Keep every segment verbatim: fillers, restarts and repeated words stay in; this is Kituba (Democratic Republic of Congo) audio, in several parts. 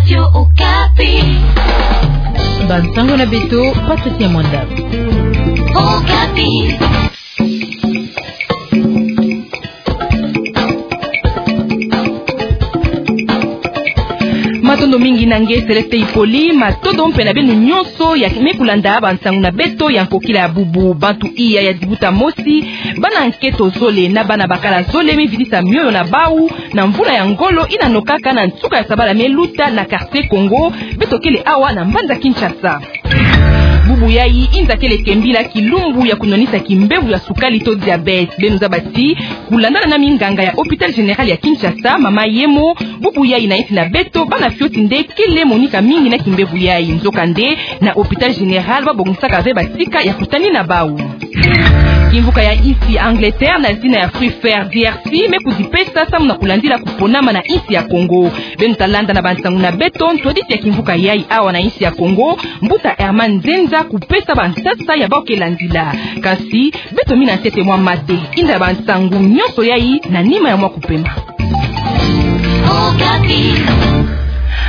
Radio Okapi. Bansango na beto, Patricia Mwanda. Okapi. Matondo mingi na nge Céleste Hippolyte, matondo mpe na beno nyonso ya me kulanda bansango na beto ya nkokila ya bubu. Bantu iya ya dibuta mosi, bana nketo zole na bana bakala zole me vidisa mioyo na bau na mvula ya ngolo ina nokaka na nsuka ya sabala me luta na quartier Congo, beto kele awa na mbanza Kinshasa. Bubu yai inza kele kembila kilumbu ya kunwanisa kimbevo ya sukali to diabète. Beno zaba ti, kulandana na minganga ya Hôpital Général ya Kinshasa, mama Yemo, bubu yai na insi na beto, bana fioti nde kele monika mingi na kimbevo yai. Nzokande, na Hôpital Général, babongisaka ve batika ya kutani na bau. Kimvuka ya insi Angleterre na zina ya Free Fair D R C me kudipesa samu na kulandila kuponama na insi ya Congo. Beno ta landa na bansango na beto ntwadisi ya kimvuka yai awa na insi ya Congo, mbuta Herman Nzenza kupesa bansasa ya bau ke landila. Kasi, beto mina ntete mwa mate, inda bansango nyonso yai na nima ya mwa kupema. Okapi.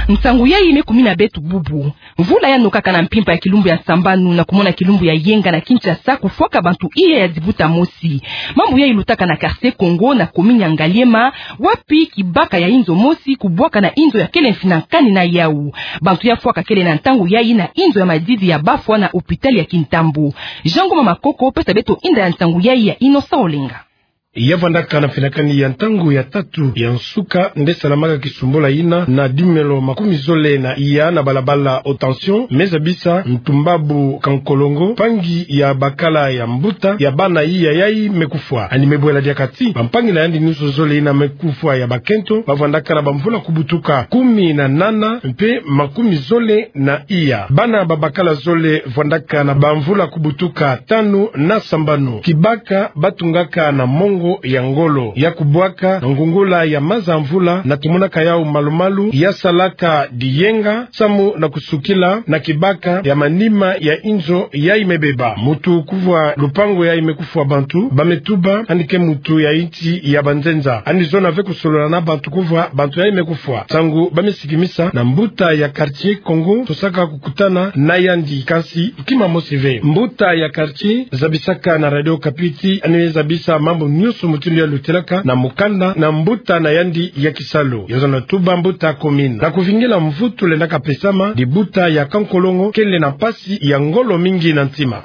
Nsango yai me kumina beto bubu. Mvula ya nokaka na mpimpa ya kilumbu ya sambanu na kumona kilumbu ya yenga na Kinshasa kufwaka bantu iya ya dibuta mosi. Mambu yai lutaka na quartier Congo na commune ya Ngaliema, wapi kibaka ya inzo mosi kubwaka na inzo ya kele mfina nkani na yau. Bantu ya fwaka kele na ntangu yai na inzo ya madidi ya bafwa na hôpital ya Kintambo. Jean Ngoma Makoko pesa beto inda ya nsango yai ya Innocent Olenga. Ya vandaka na mfina nkani ya ntangu ya tatu ya nsuka nde salamaka kisumbula yina na dimelo makumi zole na iya na balabala Haute Tension, me zabisa ntumbabu Kankolongo, mpangi ya bakala ya mbuta ya bana iya yai me kufwa. Yandi me bwela diaka ti bampangi na yandi nyonso zole yina me kufwa ya bakento, ba vandaka na bamvula kubutuka kumi na nana mpe makumi zole na iya. Bana ba bakala zole vandaka na bamvula kubutuka tanu na sambanu. Kibaka batungaka na mongo ya ngolo ya kubwaka na ngungula ya maza mvula, na tumonaka yau malu-malu, ya salaka diyenga samu na kusukila na kibaka ya manima ya inzo yai me beba. Mutu kuvwa lupangu yai me kufwa bantu, ba me tuba yandi ke mutu ya insi ya banzenza. Yandi zona ve kusolola na bantu kuvwa bantu yai me kufwa. Nsangu ba me sikimisa na mbuta ya quartier Congo, tosaka kukutana na yandi, kasi kima mosi ve. Mbuta ya quartier zabisaka na Radio Okapi ti yandi me zabisa mambu nyonso mutindu ya lutilaka na mukanda na mbuta na yandi ya kisalu. Yo zona tuba mbuta commune. Na kuvingila mvutu lendaka pesama, dibuta ya Kankolongo kele na mpasi ya ngolo mingi na ntima.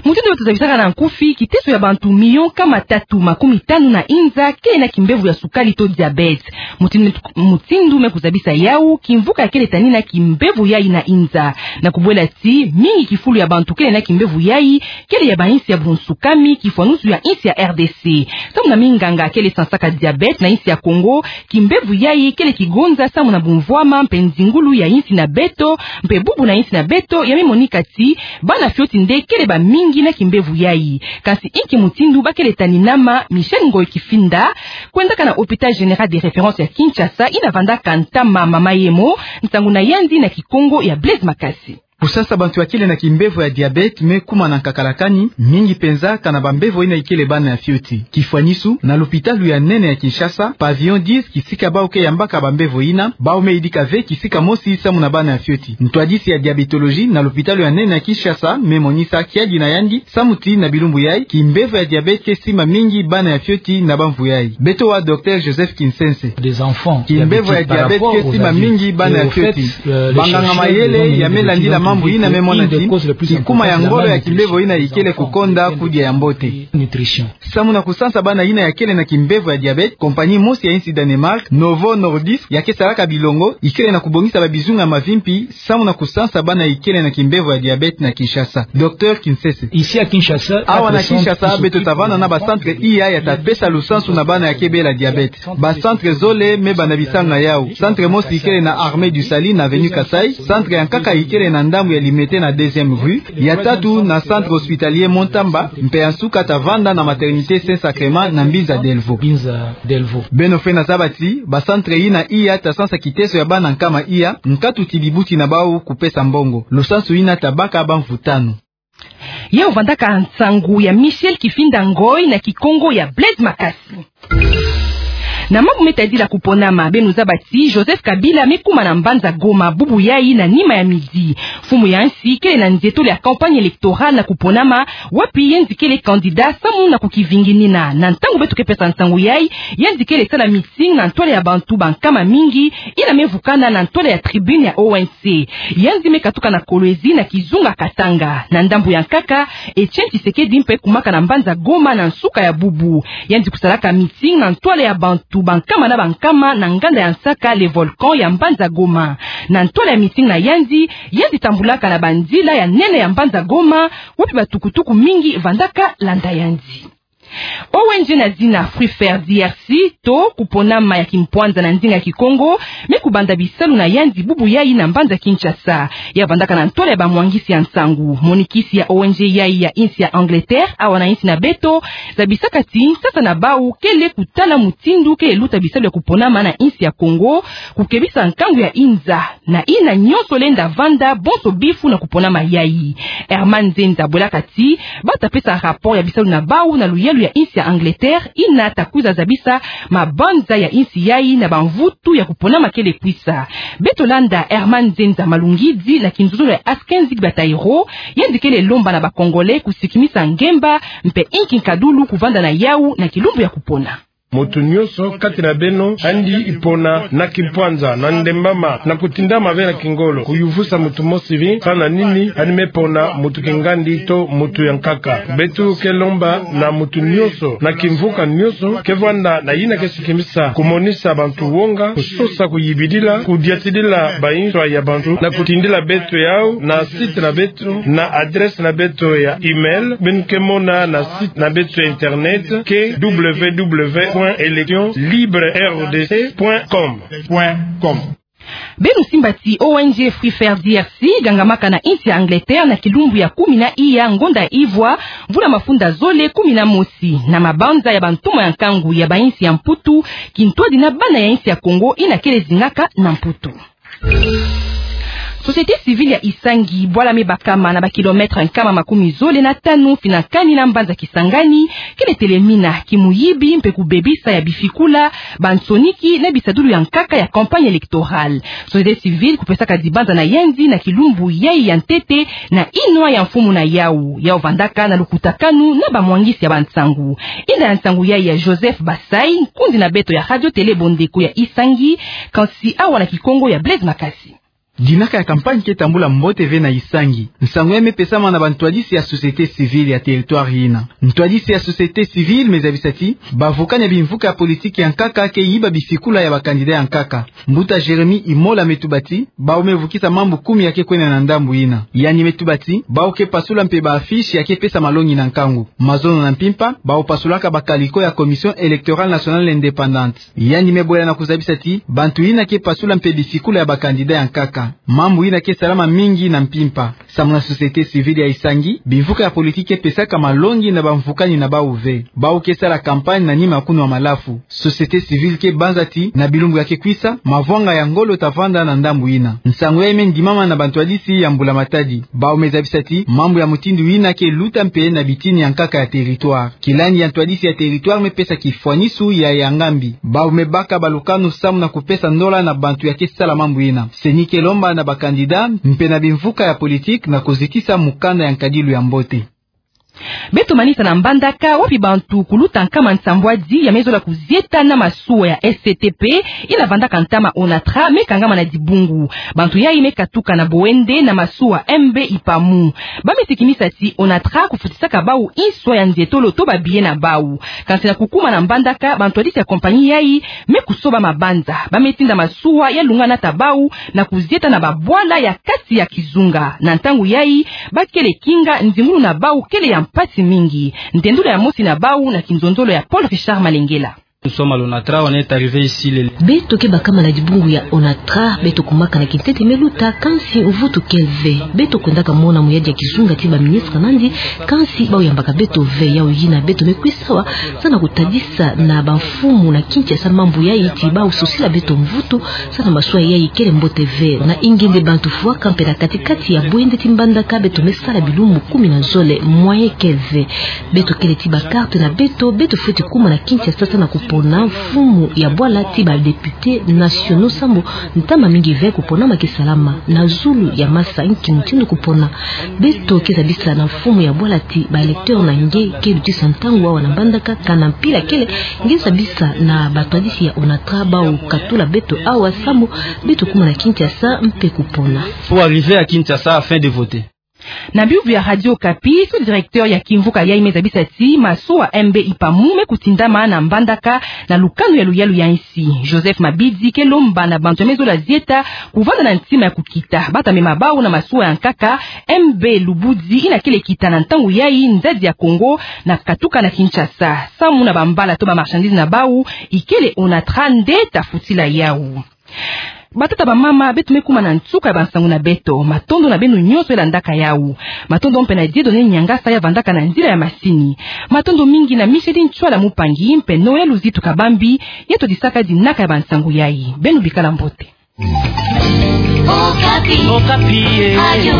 Mutindu me tuzabisaka na nkufi, kiteso ya bantu milioni nkama tatu makumi tanu na inza kele na kimbevo ya sukali to diabète. Mutindu, mutindu me kuzabisa yau, kimvuka ya kele tani na kimbevo yai na inza. Na kubwela ti, mingi kifulu ya bantu kele na kimbevo yai, kele ya bainsi ya bunsukami, kifwanusu ya insi ya R D C. Samu na minganga kele sansaka diabète na insi ya Congo, kimbevo yai kele kigonza samu na bumvwama mpe nzingulu ya insi na beto, mpe bubu na insi na beto, ya me monika ti bana fioti nde kele bamingi na kimbevo yai. Kasi inki mutindu ba kele tani nama? Michel Ngoy Kifinda, kwendaka na Hôpital Général de Référence ya Kinshasa, yina vandaka ntama mama Yemo, nsangu na yandi na Kikongo ya Blaise Makasi. Kusansa bantu ya kele na kimbevo ya diabète me kuma na nkakalakani, mingi penza kana bambevo yina ikele bana ya fioti. Kifwanisu, na lopitalu ya nene ya Kinshasa, pavillon dix, kisika bau ke yambaka bambevo yina, bau me yidika ve kisika mosi samu na bana ya fioti. Ntwadisi ya diabétologie na lopitalu ya nene ya Kinshasa me monisa kiadi na yandi, samu ti na bilumbu yai, kimbevo ya diabète ke simba mingi bana ya fioti na bamvu yai. Beto wa Docteur Joseph Kinsense. Des enfants. Kimbevo ya diabète ke simba mingi bana ya fioti. Banganga mayele ya me landila mambu yina me mona ti, kikuma ya ngolo ya kimbevo yina ikele kukonda kudia ya mbote. Samu na kusansa bana yina ya kele na kimbevo ya diabète, compagnie mosi ya insi Danemark, Novo Nordisk, ya ke salaka bilongo, ikele na kubongisa babizunga mavimpi, samu na kusansa bana ikele na kimbevo ya diabète na Kinshasa. Docteur Kinsese. Ici à Kinshasa, awa na Kinshasa, beto ta vanda na ba centre iya ya ta pesa lusansu na bana ya ke bela diabète. Ba centre zole me banda bisanga yau. Centre mosi ikele na Armée du Salut na avenue Kasaï. Centre ya nkaka ikele na ndambu ya Limete na deuxième rue. Ya tatu na centre hospitalier Mont Amba, mpe ya nsuka ta vanda na maternité Saint Sacrement na Mbinza Delvaux. Mbinza Delvaux. Beno fweti zaba ti, ba centre yina iya ta sansa kiteso ya bana nkama iya, nkatu ti bibuti na bau kupesa mbongo. Lusansu yina ta baka bamvu tanu. Yau vandaka nsangu ya Michel Kifinda Ngoy na Kikongo ya Blaise Makasi. Na mambu me tadila kuponama, beno zaba ti Joseph Kabila me kuma na mbanza Goma bubu yayi na nima ya midi. Mfumu ya nsi kele na nzietolo ya campagne électorale na kuponama, wapi yandi kele candidat samu na kukivinginina. Na ntangu beto ke pesa nsangu yayi, yandi kele sala meeting na ntwala ya bantu bankama mingi, ina me vukana na ntwala ya tribune ya O N C. Yandi me katuka na Kolwezi na kizunga Katanga. Na ndambu ya nkaka, Etienne Tshisekedi mpe kumaka na mbanza Goma na nsuka ya bubu. Yandi kusalaka meeting na ntwala ya bantu bankama na bankama na nganda ya nsaka Le Volcan ya mbanza Goma. Na ntwala ya meeting na yandi, yandi tambulaka na banzila ya nene ya mbanza Goma, wapi batukutuku mingi vandaka landa yandi. O N G na zina Free Fair D R C, to kuponama ya kimpwanza na ndinga ya Kikongo, me kubanda bisalu na yandi bubu yayi na mbanza Kinshasa. Ya vandaka na ntwala ya bamwangisi ya nsangu. Monikisi ya O N G yayi ya insi ya Angleterre, awa na insi na beto, zabisaka ti nsasa na bawu kele kutala mutindu kele luta bisalu ya kuponama na insi ya Kongo, kukebisa nkangu ya inza, na ina nyonso lenda vanda bonso bifu na kuponama yayi. Herman Nzenza bwelaka ti, bata pesa rapport ya bisalu na bawu na luyalu ya insi ya Angleterre, ina ta kwiza zabisa mabanza ya insi yayi na bamvutu ya kuponama kele kwisa. Beto landa Herman Nzenza Malungidi na kinzuzulu ya Askenzi Batairo, yandi kele lomba na ba Congolais kusikimisa ngemba, mpe inki nkadulu kuvanda na yawu na kilumbu ya kupona. Moto nyonso kati na beno, andi ipona na kimpwanza, na ndembama, na kutindama ve na kingolo, kuyuvusa moto mosi ve, sa na nini, andi me pona moto kingandi to moto ya nkaka. Beto ke lomba na moto nyonso, na kimvuka nyonso, ke vanda na ina ke sikimisa, kumonisa bantu wonga, kusosa kuyibidila, kudiatidila banswa ya bantu, na kutindila beto yawu, na site na beto, na adresse na beto ya email, beno ke mona na site na beto ya internet, ke w w w point élection libre r d c point com. Beno simba ti O N G Free Fair D R C gangamaka na insi ya Angleterre na kilumbu ya kumi na iya ngonda ya ivwa, mvula mafunda zole kumi na mosi, na mabanza ya bantumwa ya nkangu ya bainsi ya Mputu, kintwadi na bana ya insi ya Kongo ina kele zingaka na Mputu. Société civile ya Isangi, bwala me bakama na ba kilomètre nkama makumi zole na tanu fina kani na mbanza Kisangani, kele telemina kimuyibi mpe kubebisa ya bifikula, bansoniki na bisadulu ya nkaka ya campagne électorale. Société civile kupesaka dibanza na yandi na kilumbu yayi ya ntete na inwa ya mfumu na yawu, yawu vandaka na lukutakanu na bamwangisi ya bansangu. Inda ya nsangu yayi ya Joseph Basai, nkundi na beto ya Radio Télé Bondeko ya Isangi, kansi awa na Kikongo ya Blaise Makasi. Dinaka ya campagne ke tambula mbote ve na Isangi. Nsangu yayi me pesama na bantwadisi ya société civile ya territoire yina. Ntwadisi ya société civile me zabisa ti, bavukani ya bimvuka ya politique ya nkaka ke yiba bifikula ya ba candidat ya nkaka. Mbuta Jérémie Imola me tuba ti, bawu me vukisa mambu kumi ya ke kwenda na ndambu yina. Yandi me tuba ti, bawu ke pasula mpe ba affiche ya ke pesa malongi na nkangu. Mazono na mpimpa, bawu pasulaka ba calicot ya Commission électorale nationale indépendante. Yandi me bwela na kuzabisa ti, bantu yina ke pasula mpe bifikula ya ba candidat ya nkaka. Mambu yina ke salama mingi na mpimpa. Samu na société civile ya Isangi, bimvuka ya politique ke pesaka malongi na bamvukani na bawu ve. Bawu ke sala campagne na nima ya kunwa malafu. Société civile ke banza ti, na bilumbu ya ke kwisa, mavwanga ya ngolo ta vanda na ndambu yina. Nsangu yayi me ndimama na bantwadisi ya Mbula Matadi. Bawu me zabisa ti, mambu ya mutindu yina ke luta mpe na bitini ya nkaka ya territoire. Kilandi ya ntwadisi ya territoire me pesa kifwanisu ya ya ngambi. Bawu me baka balukanu samu na kupesa ndola na bantu ya ke sala mambu yina. CENI ke lomba na ba candidat, mpe na bimvuka ya politique na kuzitisa mukanda ya nkadilu ya mbote. Beto manisa na Mbandaka, wapi bantu kuluta nkama nsambwadi ya me zola kuzieta na masuwa ya S C T P, yina vandaka ntama Onatra, me kangama na dibungu. Bantu yayi me katuka na Boende na masuwa M B Ipamu. Ba me sikimisa ti Onatra kufutisaka bawu inswa ya nzietolo to ba billet na bawu. Kansi na kukuma na Mbandaka, bantwadisi ya compagnie yayi me kusoba mabanza. Ba me tinda masuwa ya lunga nata bawu na kuzieta na babwala ya kati ya kizunga. Na ntangu yayi, ba kele kinga, nzingulu na bawu kele ya mpasi mingi. Ntendulu ya mosi na bawu na kinzonzolo ya Paul Richard Malengela. Nous sommes à l'Onatra, on est arrivé ici le... Beto ke bakama na dibungu ya Onatra, beto kumaka na kintete me luta, kansi mvutu ke ve. Beto kwendaka mona muyadi ya kizunga ti ba ministre nandi, kansi bawu yambaka beto ve. Yawu yina beto me kwisa awa, sa na kutadisa na bamfumu na Kinshasa mambu yayi ti bawu sosila beto mvutu, sa na masuwa yayi kele mbote ve. Na ingende bantu fwaka mpe na kati-kati ya Boende ti Mbandaka beto me sala bilumbu kumi na zole, moyen ke ve. Beto kele ti ba carte na beto, beto fweti kuma na Kinshasa sa na ku Ona mfumu ya bwala ti ba députés nationaux sambu ntama mingi ve kupona ma kisalama na zulu ya masa nki mutindu kupona. Beto keza bisa na mfumu ya bwala ti ba électeurs na nge ke lutisa ntangu awa na Mbandaka, kana mpila kele ngeza bisa na batwadisi ya ONATRA bau katula beto awa sambu beto kuma na Kinshasa mpe kupona. Pour arriver à Kinshasa afin de voter. Na biuvu ya Radio Okapi, sous-directeur ya kimvuka yayi me zabisa ti masuwa M B Ipamu me kutindama na Mbandaka na lukanu ya luyalu ya nsi. Joseph Mabidi ke lomba na bantu ya me zola zieta kuvanda na ntima ya kukita, bata me mabau na masuwa ya nkaka. M B Lubudi ina kele kita na ntangu yayi nzadi ya Congo na katuka na Kinshasa. Samu na bambala to ba marchandises na bau, ikele ONATRA nde ta futila yau. Batata, bamama, beto me kuma na nsuka ya bansangu na beto. Matondo na beno nyonso ya landaka yau. Matondo mpe na Dieudonné Niangasa ya vandaka na nzila ya masini. Matondo mingi na Micheline Tshuala Mupangi mpe Noël Luzitu Kabambi, ye twadisaka dinaka ya bansangu yayi. Beno bikala mbote. Okapi. Okapi, eh. Radio